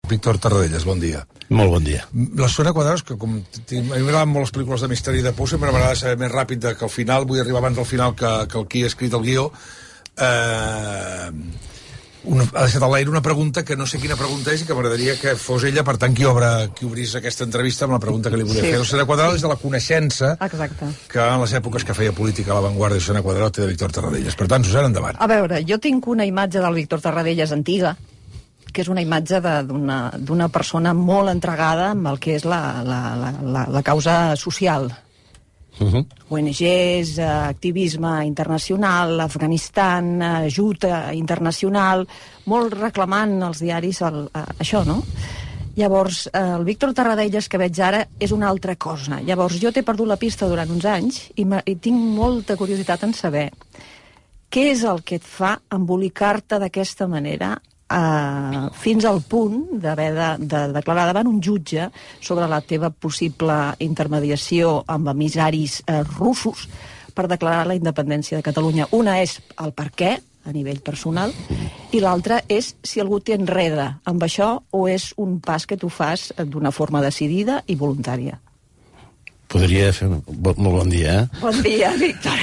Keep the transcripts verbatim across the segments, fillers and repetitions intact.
Víctor Tarradellas, bon dia. Molt bon dia. La Susana Cuadrado, que com a mi m'agraden molt les pel·lícules de misteri de por, sempre m'agrada saber més ràpid que al final, vull arribar abans del final que, que el qui ha escrit el guió. Eh, una, ha deixat a l'aire una pregunta que no sé quina pregunta és i que m'agradaria que fos ella, per tant, qui, obre, qui obrís aquesta entrevista amb la pregunta que li volia sí. fer. La Susana Cuadrado és de la coneixença Exacte. que en les èpoques que feia política a l'avantguàrdia Susana Cuadrado té de Víctor Tarradellas. Per tant, Susana, endavant. A veure, jo tinc una imatge del Víctor Tarradellas antiga, que és una imatge d'una persona molt entregada amb el que és la, la, la, la, la causa social. Uh-huh. O N Ges, activisme internacional, Afganistan, ajuda internacional, molt reclamant als diaris el, això, no? Llavors, el Víctor Tarradellas que veig ara és una altra cosa. Llavors, jo t'he perdut la pista durant uns anys i, i tinc molta curiositat en saber què és el que et fa embolicar-te d'aquesta manera Uh, fins al punt d'haver de, de declarar davant un jutge sobre la teva possible intermediació amb emissaris uh, russos per declarar la independència de Catalunya. Una és el per què, a nivell personal, i l'altra és si algú t'enreda amb això o és un pas que tu fas d'una forma decidida i voluntària. Podria fer un... Molt bon dia, eh? Bon dia, Víctor.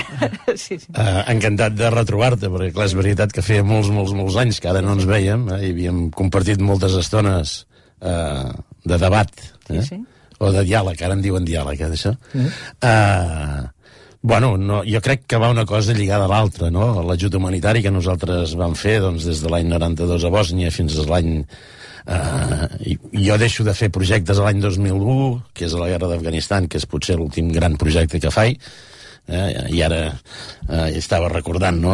Sí, sí. Uh, encantat de retrobar-te, perquè clar, és veritat que feia molts, molts, molts anys que ara no ens vèiem, eh? I havíem compartit moltes estones uh, de debat, eh? Sí, sí. O de diàleg, ara en diuen diàleg, eh, d'això. Mm. Uh, bueno, no, jo crec que va una cosa lligada a l'altra, no? L'ajut humanitari que nosaltres vam fer doncs, des de l'any noranta-dos a Bòsnia fins a l'any... Uh, jo deixo de fer projectes l'any dos mil u, que és la guerra d'Afganistan, que és potser l'últim gran projecte que faig, eh, i ara uh, estava recordant, no?,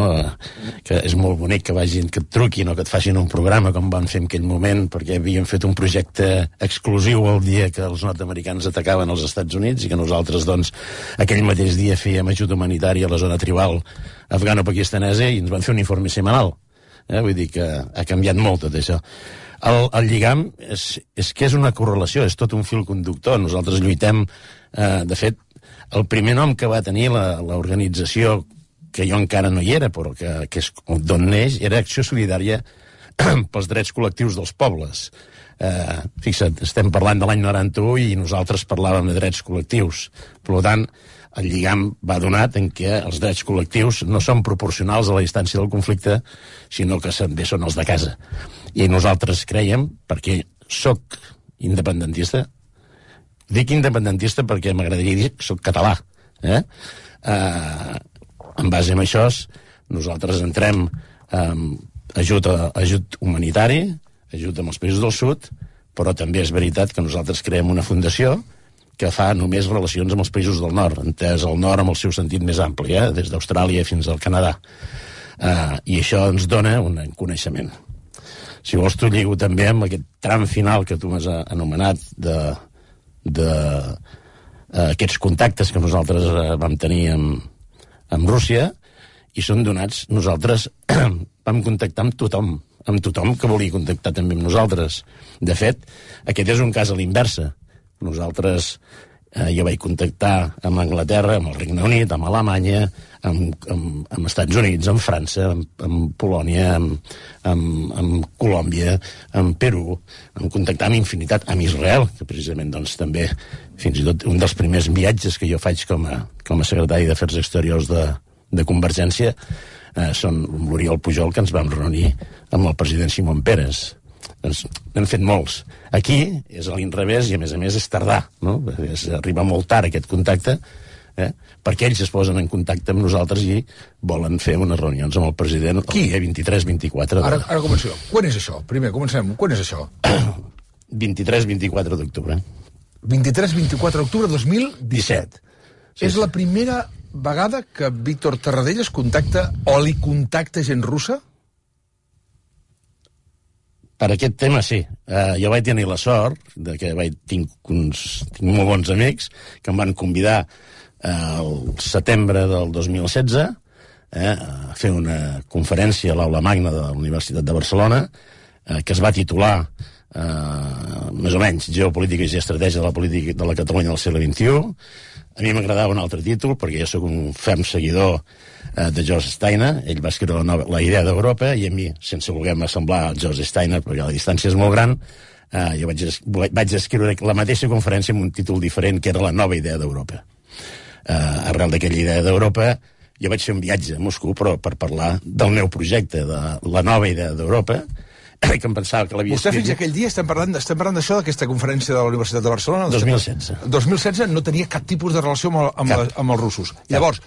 que és molt bonic que vagin, que et truquin o que et facin un programa com van fer en aquell moment, perquè havíem fet un projecte exclusiu el dia que els nord-americans atacaven els Estats Units i que nosaltres, doncs, aquell mateix dia fèiem ajuda humanitària a la zona tribal afgano-pakistanesa i ens van fer un informe setmanal. Eh? Vull dir que ha canviat molt tot això. El, el lligam és, és que és una correlació, és tot un fil conductor. Nosaltres lluitem, eh, de fet, el primer nom que va tenir l'organització, que jo encara no hi era, però que, que és d'on neix, era Acció Solidària pels Drets Col·lectius dels Pobles. Eh, fixa't, estem parlant de l'any noranta-u i nosaltres parlàvem de drets col·lectius. Per tant, el lligam va donat en què els drets col·lectius no són proporcionals a la distància del conflicte, sinó que també són els de casa. I nosaltres creiem, perquè sóc independentista, dic independentista perquè m'agradaria dir que sóc català, eh? Eh, en base a això, nosaltres entrem eh, ajut, a, ajut humanitari, ajut amb els països del sud, però també és veritat que nosaltres creem una fundació que fa només relacions amb els països del nord, entès el nord amb el seu sentit més ampli, eh? Des d'Austràlia fins al Canadà. Eh, I això ens dona un coneixement. Si vols, t'ho lligo també amb aquest tram final que tu m'has anomenat de, de uh, aquests contactes que nosaltres uh, vam tenir amb, amb Rússia, i són donats, nosaltres vam contactar amb tothom, amb tothom que volia contactar també amb nosaltres. De fet, aquest és un cas a l'inversa. Nosaltres, eh, jo vaig contactar amb Anglaterra, amb el Regne Unit, amb Alemanya, amb, amb, amb Estats Units, amb França, amb, amb Polònia, amb, amb, amb Colòmbia, amb Perú, vam contactar amb infinitat, amb Israel, que precisament doncs, també, fins i tot un dels primers viatges que jo faig com a, com a secretari d'Afers Exteriors de, de Convergència, eh, són l'Oriol Pujol, que ens vam reunir amb el president Simón Peres. Doncs n'hem fet molts. Aquí és a l'inrevés i a més a més és tardar, no? És arribar molt tard aquest contacte, eh? Perquè ells es posen en contacte amb nosaltres i volen fer unes reunions amb el president el dia vint-i-tres vint-i-quatre de... Ara, ara comencem. Quan és això? Primer, comencem. Quan és això? vint-i-tres vint-i-quatre d'octubre. vint-i-tres vint-i-quatre d'octubre de dos mil disset. Sí, és sí. La primera vegada que Víctor Tarradellas contacta o li contacta gent russa? Per aquest tema, sí. Uh, jo vaig tenir la sort de que vaig, tinc, uns, tinc molt bons amics que em van convidar uh, el setembre del dos mil setze eh, a fer una conferència a l'Aula Magna de la Universitat de Barcelona uh, que es va titular uh, més o menys Geopolítica i Estratègia de la Política de la Catalunya del segle vint-i-u. A mi m'agradava un altre títol perquè jo sóc un ferm seguidor eh, de George Steiner. Ell va escriure la, nova, la idea d'Europa i a mi, sense voler-me semblar a George Steiner perquè la distància és molt gran, Uh, jo vaig, es, vaig escriure la mateixa conferència amb un títol diferent, que era La nova idea d'Europa. Uh, arrel d'aquella idea d'Europa, jo vaig fer un viatge a Moscou, però per parlar del meu projecte, de la nova idea d'Europa, que em pensava que l'havia escrit... Vostè escrit... fins aquell dia estem parlant, estem parlant d'això, d'aquesta conferència de la Universitat de Barcelona... dos mil setze. dos mil setze no tenia cap tipus de relació amb, el, amb, la, amb els russos. Cap. Llavors,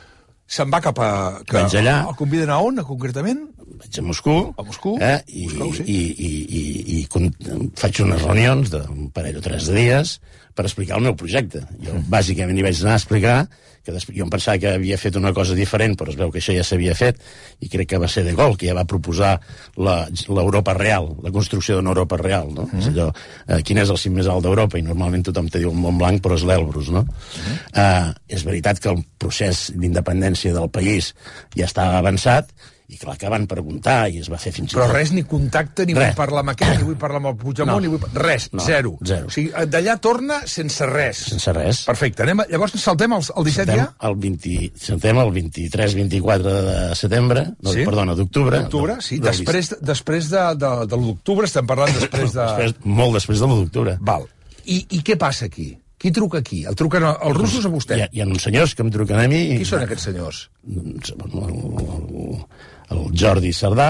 se'n va cap a... Que, vaig allà... El conviden a on, concretament? Vaig a Moscou. A Moscou. Eh, i, Moscou, sí. i, i, i, i, i faig unes reunions d'un parell o tres de dies per explicar el meu projecte. Jo, bàsicament, hi vaig anar a explicar que després, jo em pensava que havia fet una cosa diferent, però es veu que això ja s'havia fet, i crec que va ser De Gaulle, que ja va proposar l'Europa real, la construcció d'una Europa real, no? Mm. És allò, eh, quin és el cim més alt d'Europa? I normalment tothom te diu el Mont Blanc, però és l'Elbrus, no? Mm. Eh, és veritat que el procés d'independència del país ja estava avançat, i clar que van preguntar i es va fer fins i tot... Però res, ni contacte, ni res. Vull parlar amb aquest, ni vull parlar amb el Puigdemont, no. ni vull... Res, no, zero. zero. O sigui, d'allà torna sense res. Sense res. Perfecte. Anem a... Llavors saltem el, el disset saltem ja? El vint... Saltem el vint-i-tres vint-i-quatre de setembre, no, sí? Perdona, d'octubre. D'octubre, sí. Després, després de, de, de l'u d'octubre, estem parlant després de... Després, molt després de l'u d'octubre. Val. I, I què passa aquí? Qui truca aquí? El truquen els russos o vostè? Hi ha, hi ha uns senyors que em truquen a mi... Qui són aquests senyors? El, el, el Jordi Cerdà,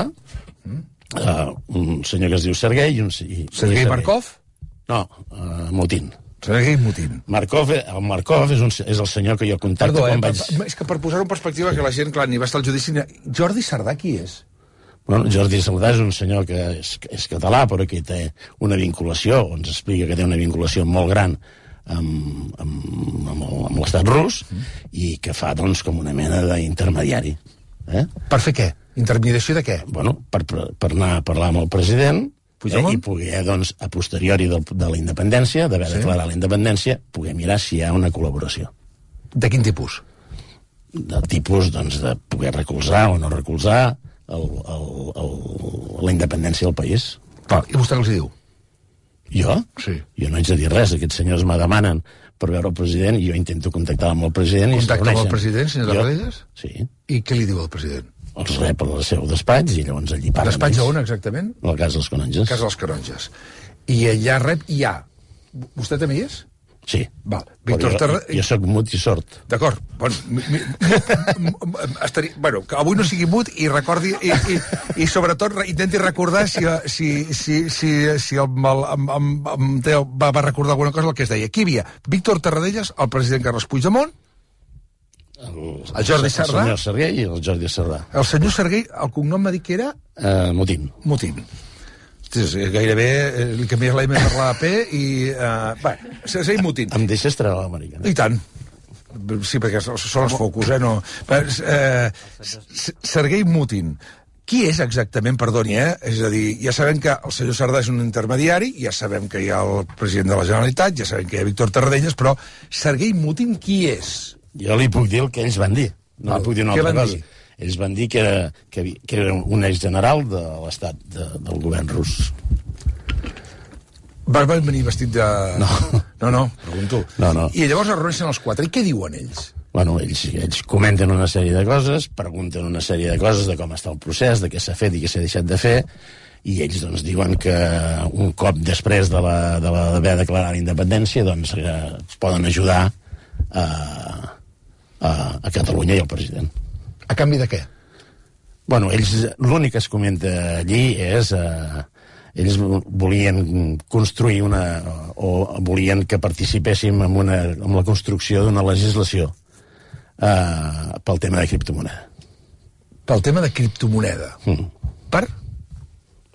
mm. uh, un senyor que es diu Sergei... Un, i, Sergei Markov? No, uh, Mutin. Sergei Mutin. Markov, el Markov és, un, és el senyor que jo contacto Perdó, quan eh, vaig... Per, és que per posar-ho en perspectiva, que la gent, clar, ni va estar al judici... Jordi Cerdà qui és? Bueno, Jordi Cerdà és un senyor que és, és català, però que té una vinculació, o ens explica que té una vinculació molt gran amb, amb, amb, amb l'estat rus, mm. i que fa, doncs, com una mena d'intermediari. Eh? Per fer què? Intermediació de què? Bueno, per, per anar a parlar amb el president eh, i poder, doncs, a posteriori de, de la independència, d'haver sí. declarat la independència, poder mirar si hi ha una col·laboració. De quin tipus? Del tipus, doncs, de poder recolzar o no recolzar el, el, el, la independència del país. Clar, i vostè què els diu? Jo? Sí. Jo no haig de dir res. Aquests senyors me demanen per veure el president i jo intento contactar amb el president. Contacta amb el president, senyor Tarradellas? Sí. I què li diu el president? Els rep al seu despatx i llavors allí parlen. Despatx a on, exactament? A la Casa dels Canonges. Casa dels Canonges. I allà rep i hi ha... Vostè també hi és? Sí. Val. Víctor jo, Terra... jo soc mut i sord. D'acord. Bueno, mi, mi, estaria... bueno, que avui no sigui mut i recordi... I, i, i sobretot intenti recordar si, si, si, si, si el, el, el, el, el, va, va recordar alguna cosa el que es deia. Aquí hi havia Víctor Tarradellas, el president Carles Puigdemont, el, el Jordi Cerdà... El senyor Sergei i el Jordi Cerdà. El senyor Sergei, el cognom m'ha dit que era... Uh, Mutin. Mutin. Gairebé li canvies la M per la P i... Uh, bé, Sergei Mutin. Em deixes treure l'americana? I tant. Sí, perquè són els focus, eh? No. Eh, Sergei Mutin. Qui és exactament, perdoni, eh? És a dir, ja sabem que el senyor Cerdà és un intermediari, ja sabem que hi ha el president de la Generalitat, ja sabem que hi ha Víctor Tarradellas, però Sergei Mutin qui és? Jo li puc dir el que ells van dir. No li puc dir una altra cosa. Dir? Ells van dir que era, que, que era un exgeneral de l'estat, de, del govern rus. Va venir vestit de... No. No, no, pregunto. No, no. I llavors es reuneixen els quatre. I què diuen ells? Bueno, ells, ells comenten una sèrie de coses, pregunten una sèrie de coses de com està el procés, de què s'ha fet i què s'ha deixat de fer, i ells doncs diuen que un cop després de l'haver de la, de declarat la independència doncs eh, poden ajudar a, a, a Catalunya i al president. A canvi de què? Bueno, ells, l'únic que es comenta allí és... Eh, ells volien construir una... o volien que participéssim en, una, en la construcció d'una legislació eh, pel tema de criptomoneda. Pel tema de criptomoneda? Mm. Per?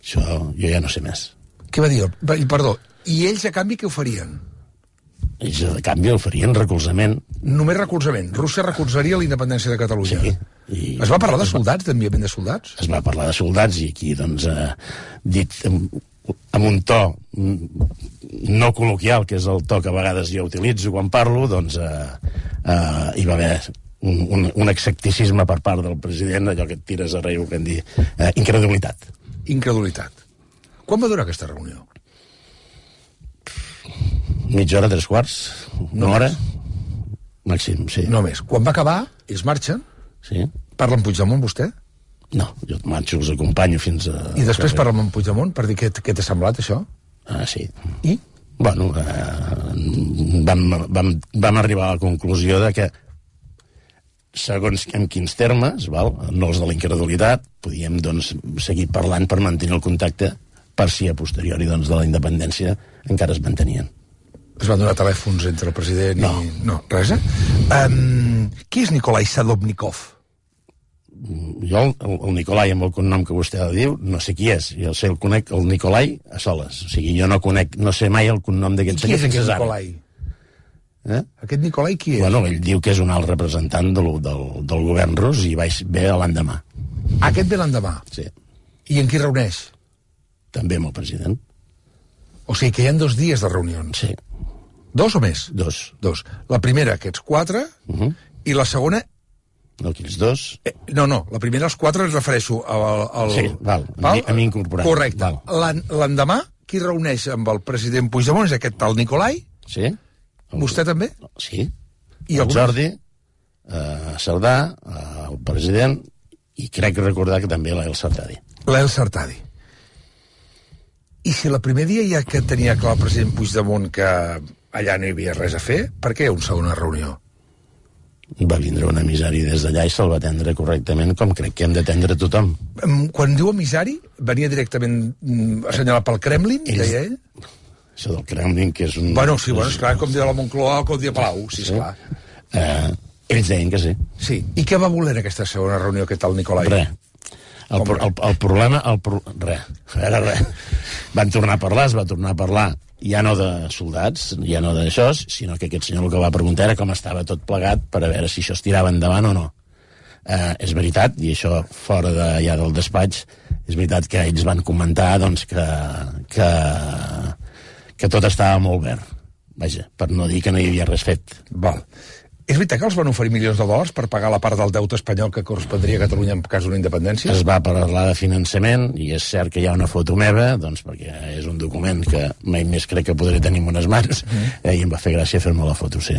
Això jo ja no sé més. Què va dir? Perdó, i ells a canvi què oferien? Ells a canvi oferien recolzament. Només recolzament. Rússia recolzaria la independència de Catalunya. Sí. I es va parlar de soldats, d'enviament de soldats? Es va parlar de soldats i aquí, doncs, eh, dit amb, amb un to no col·loquial, que és el to que a vegades jo utilitzo quan parlo, doncs eh, eh, hi va haver un, un, un escepticisme per part del president, allò que et tires a rei, que en dir, eh, incredulitat. Incredulitat. Quan va durar aquesta reunió? Mitja hora, tres quarts, una no hora, més. Màxim, sí. No més. Quan va acabar, ells marxen. Sí. Parla amb Puigdemont, vostè? No, jo marxo, els acompanyo fins a... I després parla amb Puigdemont per dir què, què t'ha semblat, això? Ah, sí. I? Bueno, eh, vam, vam, vam arribar a la conclusió de que segons en quins termes, val, no els de la incredulitat, podíem doncs, seguir parlant per mantenir el contacte per si a posteriori doncs, de la independència encara es mantenien. Es van donar telèfons entre el president no. i... No, res, eh? Um, qui és Nikolai Sadovnikov? Jo, el, el Nikolai, amb el cognom que vostè diu, no sé qui és. Jo sé el conec, el Nikolai, a soles. O sigui, jo no conec, no sé mai el cognom d'aquest senyor. Qui és aquest Nikolai? Eh? Aquest Nikolai qui és? Bueno, ell diu que és un alt representant del, del, del govern rus i vaig ve l'endemà. Aquest ve l'endemà? Sí. I en qui reuneix? També amb el president. O sigui que hi ha dos dies de reunions. Sí. Dos o més? Dos. Dos. La primera, aquests quatre, uh -huh. i la segona... No, aquells dos... Eh, no, no, la primera, els quatre, ens refereixo al... al sí, val, val? a mi incorporat. Correcte. L'endemà, qui reuneix amb el president Puigdemont és aquest tal Nikolai? Sí. El... Vostè també? Sí. I el alguns... Jordi, eh, Cerdà, eh, el president, i crec recordar que també l'El Sartadi. L'El Sartadi. I si el primer dia ja que tenia clar el president Puigdemont que allà no hi havia res a fer, per què una segona reunió? Va vindre un emissari des d'allà i se'l va atendre correctament, com crec que hem d'atendre tothom. Quan diu emissari, venia directament assenyalat pel Kremlin, Ells... deia ell? Això del Kremlin, que és un... Bueno, sí, bueno, esclar, com dia la Moncloa o com dia Palau, sí, esclar. Sí. Eh, ells deien que sí. Sí. I què va voler en aquesta segona reunió, aquest tal Nikolai? Res. El, el, el, el problema... El pro... Res. Era res. Van tornar a parlar, es va tornar a parlar ja no de soldats, ja no d'això, sinó que aquest senyor el que va preguntar era com estava tot plegat per a veure si això es tirava endavant o no. Eh, és veritat, i això fora de, ja del despatx, és veritat que ells van comentar doncs, que, que, que tot estava molt verd. Vaja, per no dir que no hi havia res fet. Val. És veritat que els van oferir milions de dòlars per pagar la part del deute espanyol que correspondria a Catalunya en cas d'una independència? Es va parlar de finançament, i és cert que hi ha una foto meva, doncs perquè és un document que mai més crec que podré tenir en unes mans, mm. eh, i em va fer gràcia fer-me la foto, sí.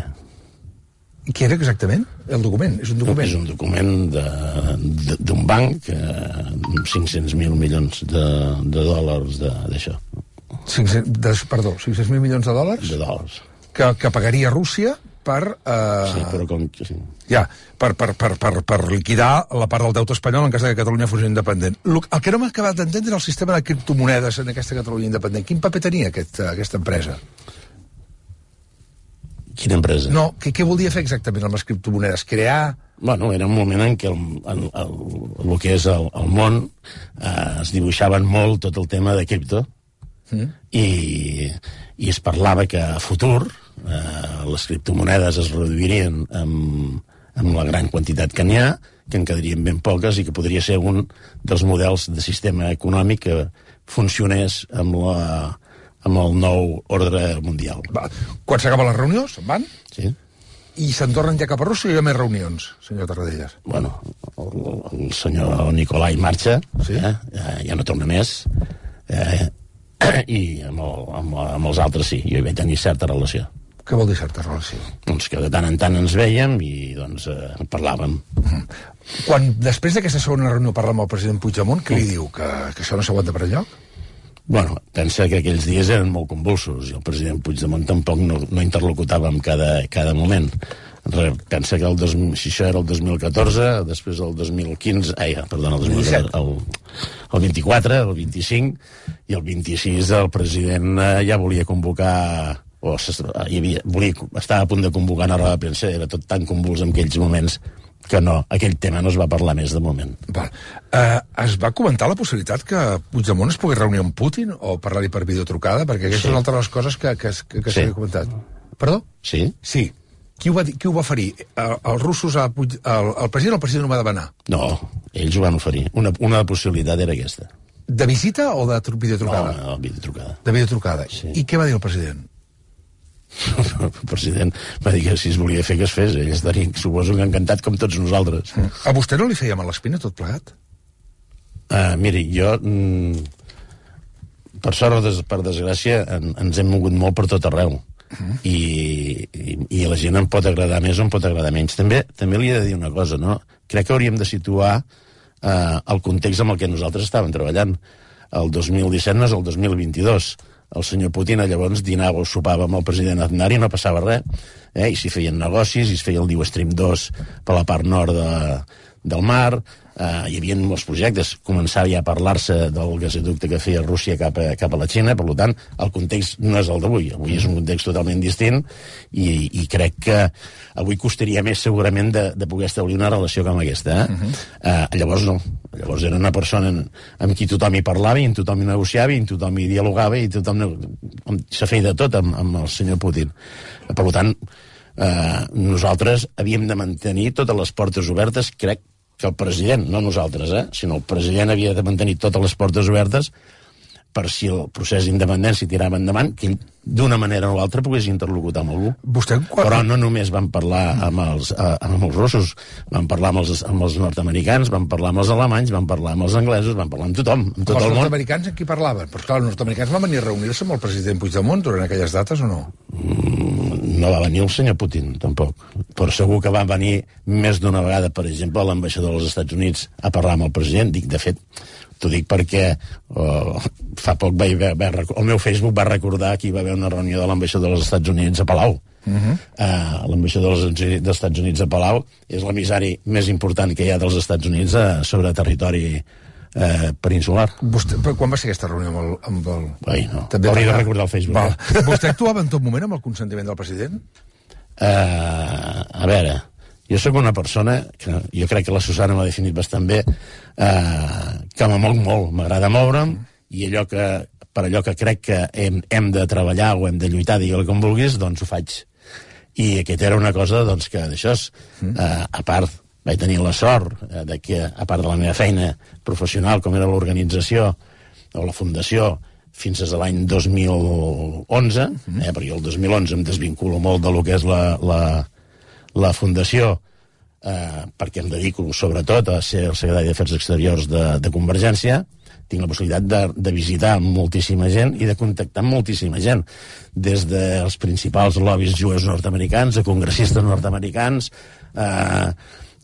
I què era exactament el document? És un document? És un document d'un banc, eh, cinc-cents mil milions de, de dòlars d'això. Perdó, cinc-cents mil milions de dòlars? De dòlars. Que, que pagaria Rússia per... Uh, sí, però com... Sí. Ja, per, per, per, per, per liquidar la part del deute espanyol en cas que Catalunya fos independent. El, el que no m'ha acabat d'entendre és el sistema de criptomonedes en aquesta Catalunya independent. Quin paper tenia aquest, aquesta empresa? Quina empresa? No, què, què volia fer exactament amb les criptomonedes? Crear... Bueno, era un moment en què el, el, el, el que és el, el món eh, es dibuixaven molt tot el tema de cripto mm. i, i es parlava que a futur eh, les criptomonedes es reduirien amb, amb la gran quantitat que n'hi ha, que en quedarien ben poques i que podria ser un dels models de sistema econòmic que funcionés amb la... amb el nou ordre mundial. Va. Quan s'acaben les reunions, van? Sí. I se'n tornen ja cap a Rússia i hi ha més reunions, senyor Tarradellas? Bueno, el, el senyor Nikolai marxa, sí? eh? ja, ja no torna més, eh? i amb, el, amb, amb els altres sí, jo hi vaig tenir certa relació. Què vol dir certa relació? Doncs que de tant en tant ens veiem i doncs eh, parlàvem. Mm. Quan després d'aquesta segona reunió parla amb el president Puigdemont, què li mm. diu? Que, que això no s'aguanta per enlloc? Bueno, pensa que aquells dies eren molt convulsos i el president Puigdemont tampoc no, no interlocutava en cada, cada moment. Pensa que el dos, si això era el dos mil catorze, després el dos mil quinze, ai, perdona, el, dos mil catorze, el, el vint-i-quatre, el vint-i-cinc, i el vint-i-sis el president eh, ja volia convocar, o hi havia, volia, estava a punt de convocar una roda de premsa, era tot tan convuls en aquells moments que no, aquell tema no es va parlar més de moment. Val. Uh, es va comentar la possibilitat que Puigdemont es pogués reunir amb Putin o parlar-li per videotrucada? Perquè aquesta sí. és una altra de les coses que, que, que, que sí. s'havia comentat. Perdó? Sí. Sí. Qui ho va, qui ho va oferir? El, els russos, a Puig, el, el president o el president ho va demanar? No, ells ho van oferir. Una, una possibilitat era aquesta. De visita o de videotrucada? No, no, videotrucada. De videotrucada. Sí. I què va dir el president? El president va dir que si es volia fer que es fes, ell estaria, suposo que encantat com tots nosaltres. A vostè no li feia mal l'espina tot plegat? Uh, miri, jo mm, per sort o des, per desgràcia en, ens hem mogut molt per tot arreu uh-huh. I, i, i a la gent em pot agradar més o em pot agradar menys. També, també li he de dir una cosa, no? Crec que hauríem de situar uh, el context amb el que nosaltres estàvem treballant. El dos mil disset no és el dos mil vint-i-dos. el senyor Putin llavors dinava o sopava amb el president Aznar i no passava res, eh? I s'hi feien negocis, i es feia el Nord Stream dos per la part nord de, del mar, eh, hi havia molts projectes, començava ja a parlar-se del gasoducte que feia Rússia cap a, cap a la Xina, per tant, el context no és el d'avui, avui és un context totalment distint, i, i crec que avui costaria més segurament de, de poder establir una relació com aquesta. Eh? Uh-huh. eh, llavors no, llavors era una persona amb qui tothom hi parlava, i amb tothom hi negociava, i amb tothom hi dialogava, i tothom se feia de tot amb, amb el senyor Putin. Per tant, eh, nosaltres havíem de mantenir totes les portes obertes, crec que el president, no nosaltres, eh, sinó el president havia de mantenir totes les portes obertes per si el procés d'independència tirava endavant, que ell, d'una manera o l'altra, pogués interlocutar amb algú. Vostè, quan... Però no només van parlar amb els, eh, amb els russos, van parlar amb els, amb els nord-americans, van parlar amb els alemanys, van parlar amb els anglesos, van parlar amb tothom, amb tot els el món. Els nord-americans amb qui parlaven? Però clar, els nord-americans van venir a reunir-se amb el president Puigdemont durant aquelles dates o no? Mm, no va venir el senyor Putin, tampoc. Però segur que va venir més d'una vegada, per exemple, l'ambaixador dels Estats Units a parlar amb el president. Dic, de fet, t'ho dic perquè oh, fa poc va haver, va, el meu Facebook va recordar que hi va haver una reunió de l'ambaixador dels Estats Units a Palau. Uh-huh. uh, l'ambaixador dels Estats Units a Palau és l'emissari més important que hi ha dels Estats Units uh, sobre territori uh, peninsular. Vostè, quan va ser aquesta reunió amb el... Amb el... Ai, no, hauria de recordar el Facebook. Val. Eh? Vostè actuava en tot moment amb el consentiment del president? Uh, a veure, jo sóc una persona que jo crec que la Susana m'ha definit bastant bé, uh, que me moc molt, m'agrada moure'm, i allò que, per allò que crec que hem, hem de treballar o hem de lluitar, digue-li com vulguis, doncs ho faig. I aquesta era una cosa doncs, que d'això, uh, a part, vaig tenir la sort uh, de que, a part de la meva feina professional, com era l'organització o la fundació, fins a l'any dos mil onze, eh, perquè el dos mil onze em desvinculo molt de lo que és la, la, la fundació, eh, perquè em dedico sobretot a ser el secretari d'Afers Exteriors de, de Convergència. Tinc la possibilitat de, de visitar moltíssima gent i de contactar amb moltíssima gent, des dels principals lobbies jueus nord-americans, a congressistes nord-americans. eh,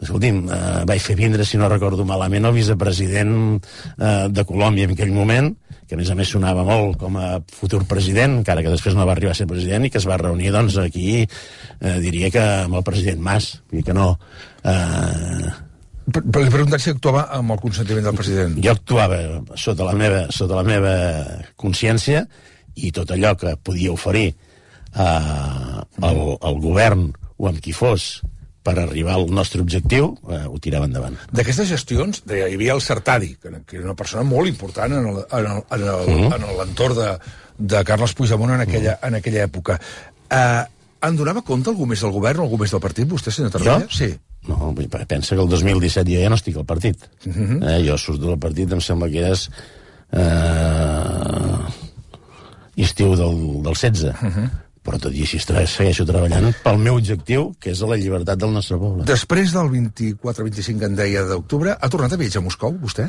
escolti'm, eh, vaig fer vindre, si no recordo malament, el vicepresident eh, de Colòmbia en aquell moment, que a més a més sonava molt com a futur president, encara que després no va arribar a ser president, i que es va reunir doncs aquí, eh, diria que amb el president Mas, vull dir que no... Eh... Però li preguntat si actuava amb el consentiment del president. Jo actuava sota la meva, sota la meva consciència, i tot allò que podia oferir eh, al, al govern o amb qui fos per arribar al nostre objectiu, eh, ho tirava endavant. D'aquestes gestions, hi havia el Sartadi, que era una persona molt important en l'entorn de, de Carles Puigdemont en aquella, en aquella època. Eh, en donava compte algú més del govern o algú més del partit, vostè, senyor Tarragona? Jo? Sí. No, pensa que el dos mil disset jo ja no estic al partit. Uh-huh. eh, jo surto del partit, em sembla que és eh, estiu del, del setze. Uh-huh. Però tot i així segueixo treballant pel meu objectiu, que és la llibertat del nostre poble. Després del vint-i-quatre vint-i-cinc, en deia, d'octubre, ha tornat a viatjar a Moscou, vostè?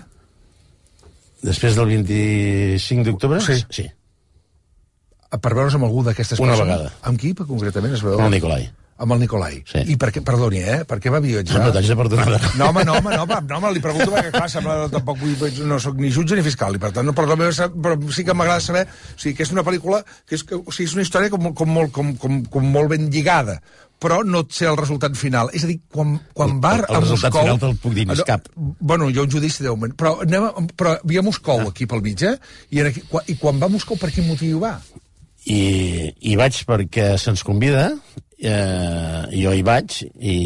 Després del vint-i-cinc d'octubre? Sí. Sí. Per veure's amb algú d'aquestes persones? Una vegada. Amb qui, concretament, es veu? Amb el Nicolai. Amb el Nicolai. Sí. I per què, perdoni, eh? Per què va viatjar? No, no t'haig de perdonar. No, home, no, home, no, home, no, home, li pregunto perquè, clar, sembla, tampoc vull, no soc ni jutge ni fiscal, i per tant, no, però, però sí que m'agrada saber, o sigui, que és una pel·lícula, que és, que, o sigui, és una història com, com, molt, com, com, com molt ben lligada, però no sé el resultat final. És a dir, quan, quan va el, el a Moscou... El resultat final te'l puc dir, no és cap. Bueno, hi ha un judici de moment, però, anem a, però hi ha Moscou, aquí pel mig, eh? I, aquí, I quan va a Moscou, per quin motiu va? I, i vaig perquè se'ns convida, eh, jo hi vaig, i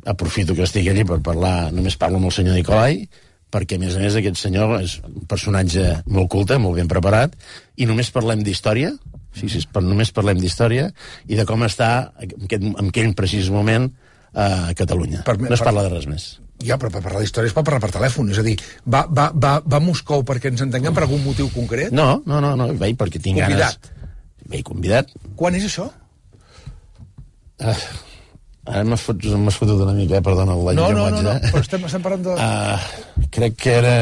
aprofito que estigui allí per parlar, només parlo amb el senyor Nicolai, perquè a més a més aquest senyor és un personatge molt culte, molt ben preparat, i només parlem d'història, sí, sí, només parlem d'història, i de com està en aquest, en aquell precís moment a Catalunya. Per, no es parla de res més. Ja, però per parlar d'història es pot parlar per telèfon, és a dir, va, va, va, va a Moscou perquè ens entenguem per algun motiu concret? No, no, no, no, vaig perquè tinc Convidat. ganes... Vaig convidat. Quan és això? Ah, ara m'has fotut, fotut una mica, eh? Perdona l'any no, que no, vaig, no, no, eh? però estem, estem parlant de... Uh, crec que era...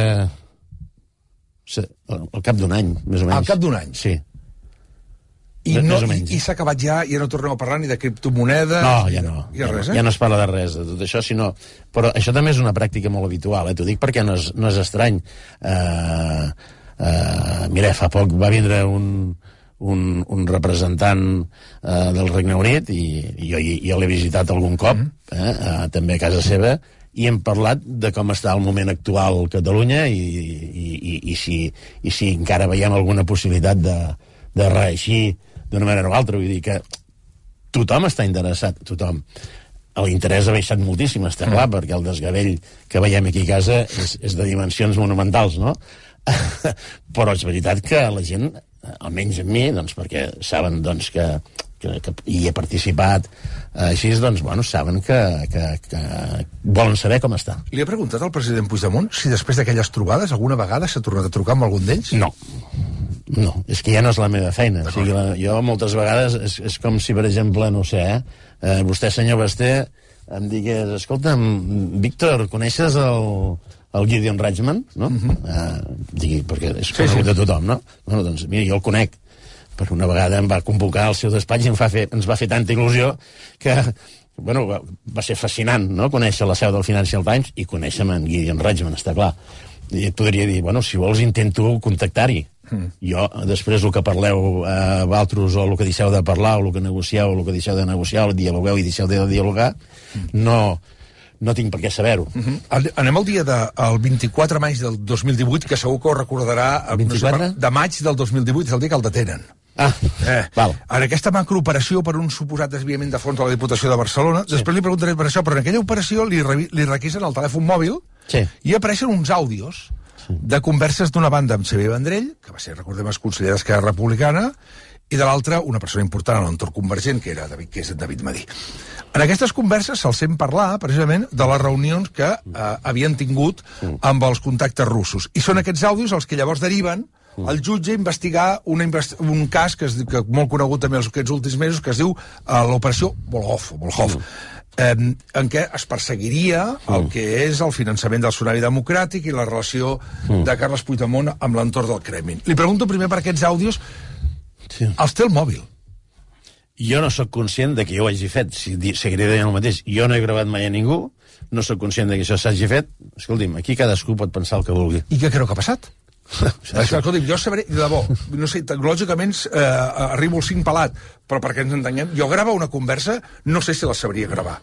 al cap d'un any, més o menys. Al cap d'un any? Sí. I, no, i, i s'ha acabat ja, ja no tornem a parlar ni de criptomonedes... No, ja no. Ja, ja, res, no, eh? ja no es parla de res, de tot això, sinó... Però això també és una pràctica molt habitual, eh? T'ho dic perquè no és, no és estrany. Uh, uh, mira, fa poc va vindre un... un, un representant eh, del Regne Unit, i, i jo, jo l'he visitat algun cop, eh, eh, també a casa seva, i hem parlat de com està el moment actual a Catalunya i, i, i, i, si, i si encara veiem alguna possibilitat de, de reeixir d'una manera o altra. Vull dir que tothom està interessat, tothom. L'interès ha baixat moltíssim, està clar, mm. perquè el desgavell que veiem aquí a casa és, és de dimensions monumentals, no? Però és veritat que la gent, almenys en mi, doncs, perquè saben doncs, que, que, que hi he participat, així, doncs, bueno, saben que, que, que volen saber com està. Li ha preguntat al president Puigdemont si després d'aquelles trobades alguna vegada s'ha tornat a trucar amb algun d'ells? No. No, és que ja no és la meva feina. O sigui, la, jo moltes vegades és, és com si, per exemple, no sé, eh, eh, vostè, senyor Basté, em digués, escolta'm, Víctor, coneixes el... el Gideon Reichman, no? Uh -huh. uh, digui, perquè és conegut sí, sí. de tothom, no? Bueno, doncs, mira, jo el conec, perquè una vegada em va convocar al seu despatx i em va fer, ens va fer tanta il·lusió que, bueno, va, va ser fascinant, no?, conèixer la seu del Financial Times i conèixer en Gideon Reichman, està clar. I et podria dir, bueno, si vols intento contactar-hi. Mm. Jo, després, el que parleu eh, vosaltres, o el que deixeu de parlar, o el que negocieu, o el que deixeu de negociar, o dialogueu i deixeu de dialogar, mm. no... no tinc per què saber-ho. Uh -huh. Anem al dia de, el vint-i-quatre de maig del dos mil divuit, que segur que ho recordarà... vint-i-quatre? No sé, de maig del dos mil divuit, és el dia que el detenen. Ah, eh. val. En aquesta macrooperació per un suposat desviament de fons a la Diputació de Barcelona, sí. Després li preguntaré per això, però en aquella operació li, li requisen el telèfon mòbil sí. i apareixen uns àudios sí. de converses d'una banda amb Xavier Vendrell, que va ser, recordem, el conseller d'Esquerra Republicana, i de l'altra, una persona important a l'entorn convergent, que era David, que és David Madí. En aquestes converses se'ls sent parlar, precisament, de les reunions que eh, havien tingut amb els contactes russos. I són aquests àudios els que llavors deriven al jutge a investigar una invest un cas que és que molt conegut també aquests últims mesos, que es diu uh, l'operació Volhov, Volhov eh, en què es perseguiria el que és el finançament del tsunami democràtic i la relació de Carles Puigdemont amb l'entorn del Kremlin. Li pregunto primer per aquests àudios. Sí. Els té el mòbil. Jo no sóc conscient de que jo ho hagi fet. Si seguiré dient el mateix. Jo no he gravat mai a ningú, no sóc conscient de que això s'hagi fet. Escolti'm, aquí cadascú pot pensar el que vulgui. I què creu que ha passat? Escolti'm, jo sabré, de debò, no sé, tecnològicament eh, arribo al cinc pelat, però perquè ens entenguem, jo gravar una conversa, no sé si la sabria gravar.